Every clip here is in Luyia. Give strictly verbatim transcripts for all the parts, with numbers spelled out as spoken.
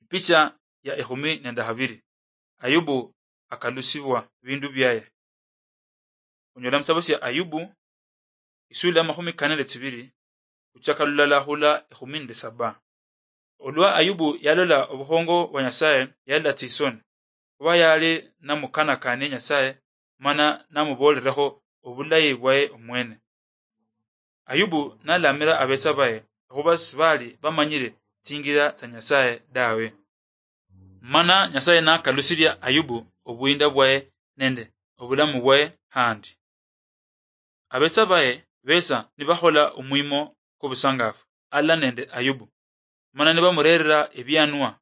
Picha ya ekhumi nende habiri. Ayubu akalusibwa bindu byaye. Onyola musabo sya Ayubu, isula ya makhumi kane nende tsibiri, khuchaka lulala hula ekhumi nende saba. Olwa Ayubu yalola obukhongo bwa Nyasaye, yalola tsisoni, khuba yali namukanakanie Nyasaye, mana namubolerekho obulayi bwaye omwene. Ayubu nalamira abetsa baye, okhuba sibali bamanyire tsingira tsa Nyasaye dawe. Mana Nyasaye nakalusiria Ayubu obuyinda bwaye nende obulamu bwaye handi. Abetsa baye betsa nibakhola omwimo kwobusangafu ala nende Ayubu, mana nibamurerera ebianwa.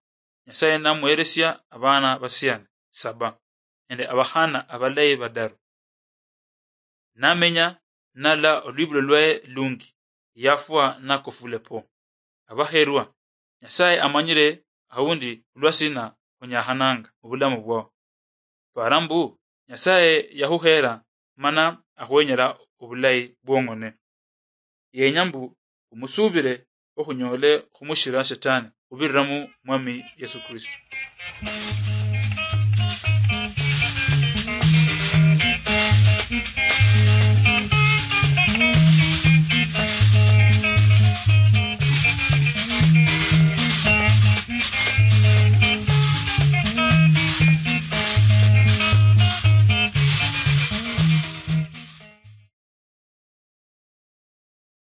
Nyasaye namuheresia abana basiani saba nende abakhana abalayi badaru. Namenya nala olwibulo lwaye lungi, yafwa nakofule po. Abaherwa, Nyasaye amanyire aundi olwasina onyakhananga mubulamu bwao. Para mbu Nyasaye yahuhera mana ahuwenyera obulayi bwong'one. Yenya mbu omusubire ohunyole humushira Shetani hubirira mu Mwami Yesu Kristo.